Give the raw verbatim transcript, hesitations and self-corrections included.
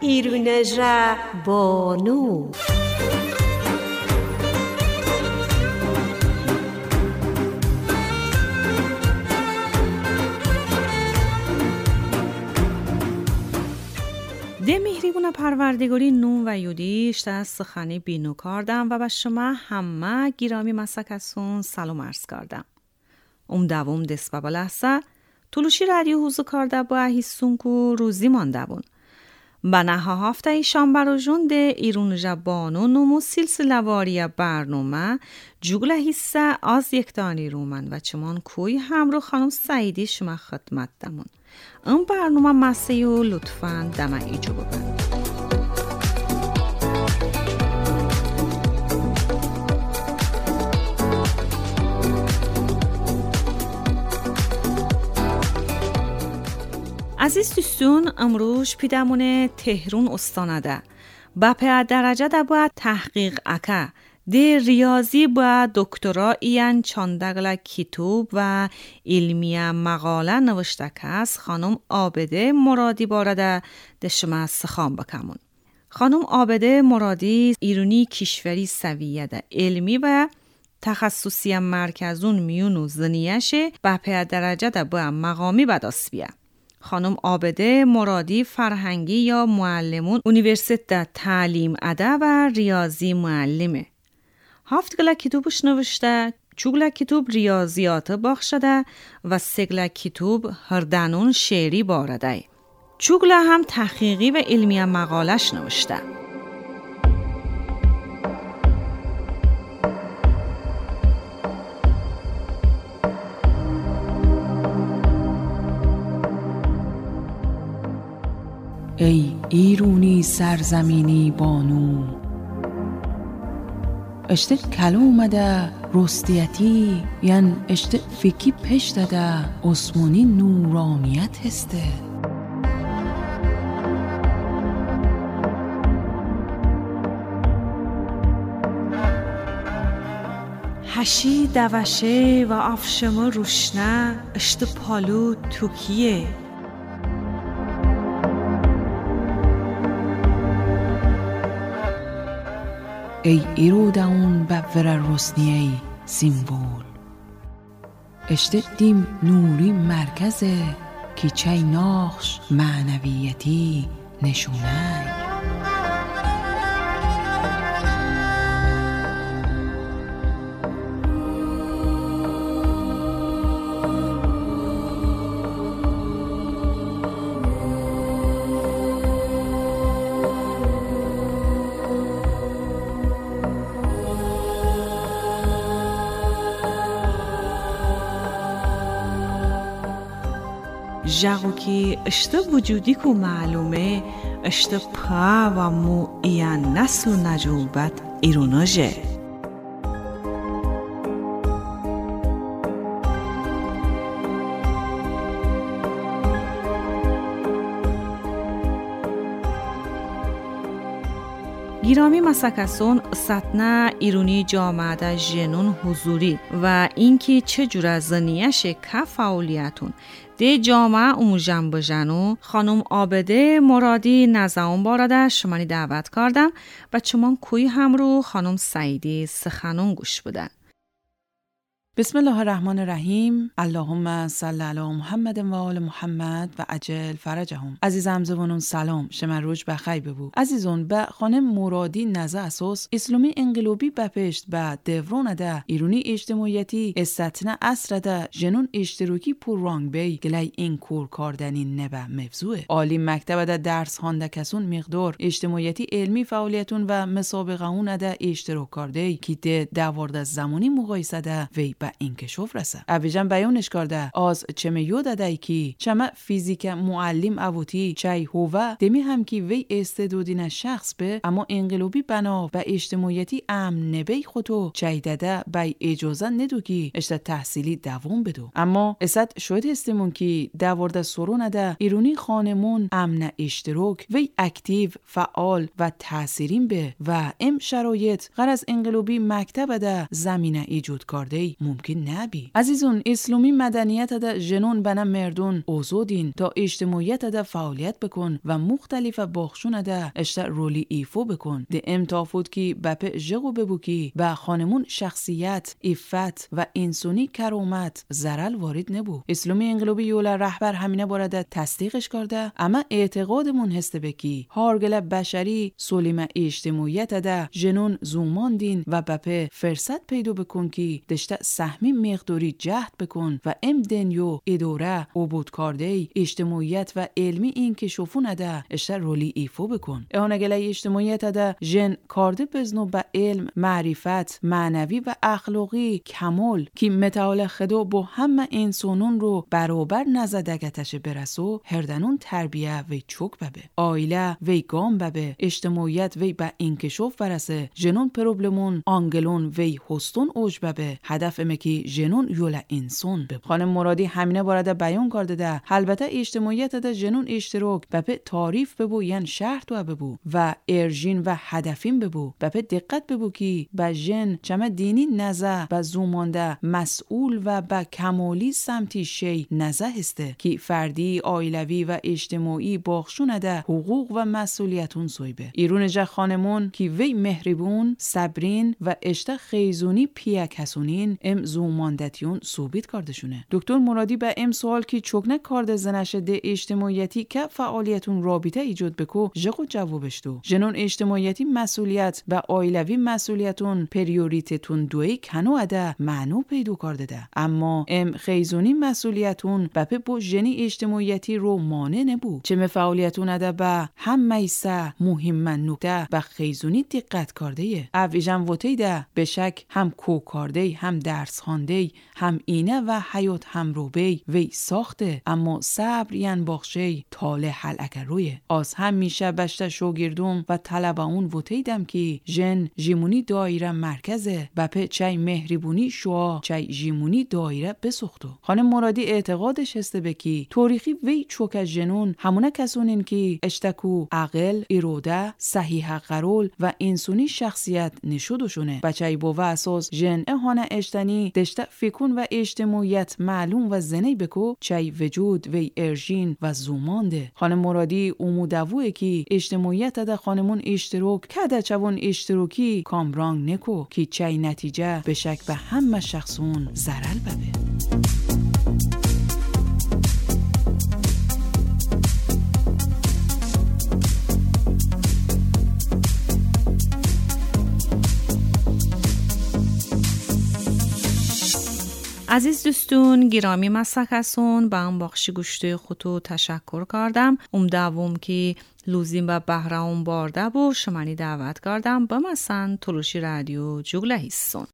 ایرونٚ ژه بانو. ده مهریبونٚ پروردگاری نوم و یودیش ده سخنی بینو کاردم و به شمه همه گیرامی مسکسون سلام عرض کاردم. اوم دووم دس به بلحسه تولوشی رادیو هوزو کارده به هیستونکو روزیمان دوون. به نهه هفته‌یی شنبه روژون ده ایرونٚ ژه بانو نومو سیلسیله‌واری برنامه جوگله حیصه از یکتانی رومن و چمان کوی همرو خانم سعیدی شمه خدمت دمون. ام برنامه مسه‌یو لطفاً دمه ایجو ببن. عزیز دوستون، امروز پیدامونه تهرون استانه ده. بپئه درجه ده با تحقیق اکه ده ریاضی با دکترا ایان چانده گله کیتوب و علمیه مقاله نوشته کس خانم عابده مرادی باره ده ده شمه سخان بکمون. خانم عابده مرادی ایرونی کیشوری سویه ده علمی و تخصصی مرکزون میون و زنیه‌شه بپئه درجه ده با مقامی به دس بیه. خانم عابده مرادی فرهنگی یا معلمون اونیورسیتت ده تعلیم اده و ریاضی معلمه. هفت گله کیتوبش نوشته، چو گله کیتوب ریاضیات بخش ده و سه گله کیتوب هردنون شعری باره ده. چو گله هم تحقیقی و علمیه مقاله‌ش نوشته. ای ایرونی سرزمینی بانو، اشته کلومه ده رستیتی، یان اشته فیکی پشته ده عثمانی نورانیت هسته. هشی دوشه و افشمه روشنه اشته پالو توکیه. ای ایرو داون به وره روسنیه‌ی سیمبول. اشته دیم نوری مرکزه کی چای ناخش معنویتی نشونای. ژغو کی اشته وجودی کو معلومه، اشته پا و مو ایان نسل و نجوبت ایرونو ژه. گیرامی مسکسون، ستنه ایرونی جامعه ده ژنون حضوری و اینکی چه جوره زنیه‌شه که فعالیتون ده جامعه اوموژن بژنو، خانم عابده مرادی نزه اون باره ده شمانی دعوت کاردم و چمان کوی همرو خانم سعیدی سخنون گوش بدن. بسم الله الرحمن الرحیم. اللهم صل علی محمد و آل محمد و عجل فرجهم. عزیزم زبونون سلام، شمه روژ بخیر ببو. عزیزون، به خانم مرادی نزه اساس، اسلومی انقلابی بپشت به دورون ده ایرونی اجتماعیتی استتنه عصر ده ژنون اشتراکی پوررنگ بی گلای انکور کاردنی نبه موضوعه. عالی مکتب ده درس هانده کسون مقدار اجتماعیتی علمی فعالیتون و مسابقه‌ون ده اشتراک کارده‌ی کی ده دوارده زمانی مقایسه ده وی به انکشاف رسه. اویجان بیانش کارده، آز چمه یاد ده‌ی کی چمه فیزیک معلم اوتی چای هووه، دمی هم کی وی استعدادینه شخص به، اما انقلابی بنا به اجتماعیتی امن نبی خوتو چای دده بی اجازه ندو کی اشته تحصیلی دوام بدو. اما اسد شاهد هستیمون کی دوارده سورون ده ایرونی خانمون امن اشتراک وی اکتیو، فعال و تأثیرین به و ام شرایط غرض انقلابی مکتب ده زمینه ایجود کارده‌ی ممکن نأبی. عزیزون، ایسلومی مدنیتده ژنون بنه مردون اوزودین تا ایجتماعیتده فعالیت بکون و مختلف باخشونده اشته رولی ایفو بکون. ده ام تافوت کی بپه ژغو ببو کی به خانمون شخصیت، عفت و انسونی کرامت ضرل وارد نبو. ایسلومی انقلابی یولا رهبر همینه بارده تصدیقش کارده، اما اعتقادمون هسته به کی هارگله بشری سولیمه ایجتماعیتده ژنون زومان دین و بپه فرصت پیدا بکون کی دشته سهمی مقداری جهد بکون و ام دنیو اداره، اوبود کارده‌ی ایجتماعیت و علمی اینکیشافونده اشته رولی ایفو بکون. اهانه گله‌ی ایجتماعیتده ژن کارده بزنو به علم، معرفت، معنوی و اخلاقی کمال کی متعال خودو بو همه انسانون رو برابر نزه دگتشه برسو، هردنون تربیه وی چوک ببه. عایله وی گام ببه، ایجتماعیت وی به اینکیشاف برسه، ژنون پروبلمون، آنگلون وی هستون اوج ببه. هدف امه کی ژنون یوله انسون ببو. خانم مرادی همینه بارده بیان کارده ده، البته ایجتماعیتده ژنون ایشتراک بپه تعریف ببو یعنی شرح دوه ببو و ارژین و هدفین ببو، بپه دقت ببو کی به ژن چمه دینی نزه به زومانده مسئول و به کمالی سمتی شی نزه هسته کی فردی، عایلوی و ایجتماعی باخشونده حقوق و مسئولیتون سویبه. ایرون جه خانمون کی وی مهریبون، صبرین و اشته خیزونی پیه کسونین ام زوماندتیون ثابت کارده شونه. دکتر مرادی به ام سوال کی چوکنه کارده زنشه ده ایجتماعیتی که فعالیتون رابطه ایجاد بکو، ژغو جوابش دو. ژنون ایجتماعیتی مسئولیت به عایلوی مسئولیتون پریوریتتون دویی کنو اده معنو پیدا کارده ده. اما ام خیزونی مسئولیتون بپه بو ژنی ایجتماعیتی رو مانع نبو. چمه فعالیتون اده به همه‌ی سه مهمه نکته به خیزونی دقت کارده‌یه. او ایجان وته‌ی ده بشک هم کو کارده‌ی، هم درس خوانده‌ی، هم اینه و حیات همرو بی وی ساخته، اما صبر یعنی باخشه‌ی تاله حلقه رویه. آز همیشه بشته شاگردون و طلبه‌ون وته‌یدم کی ژن ژیمونی دایره مرکزه، بپه چی مهریبونی شعاع چی ژیمونی دایره بسوختو. خانم مرادی اعتقادش هسته به کی تاریخی وی چوکه ژنون همونه کسونین کی اشتکو عقل، اراده، صحیحه قرول و انسونی شخصیت نشودوشونه. بچه‌ی بوه اساس ژن اهانه اشتنی دشته فیکون و ایجتماعیت معلوم و زنه‌ی بکو چی وجود وی ارژین و زومان ده. خانم مرادی اومو دووه کی ایجتماعیتده خانمون ایشتراک کده چوون ایشتراکی کامرانگ نکو کی چی نتیجه بشک به همه شخصون ضرر ببه. عزیز دوستون گیرامی، مسه کسون به ام باخشی گوشتو خوتو تشکر کاردم. اوم دووم کی لوزین به بهره‌ون بارده بو، شمانی دعوت کاردم بمسن تولوشی رادیو جوگله هیسون.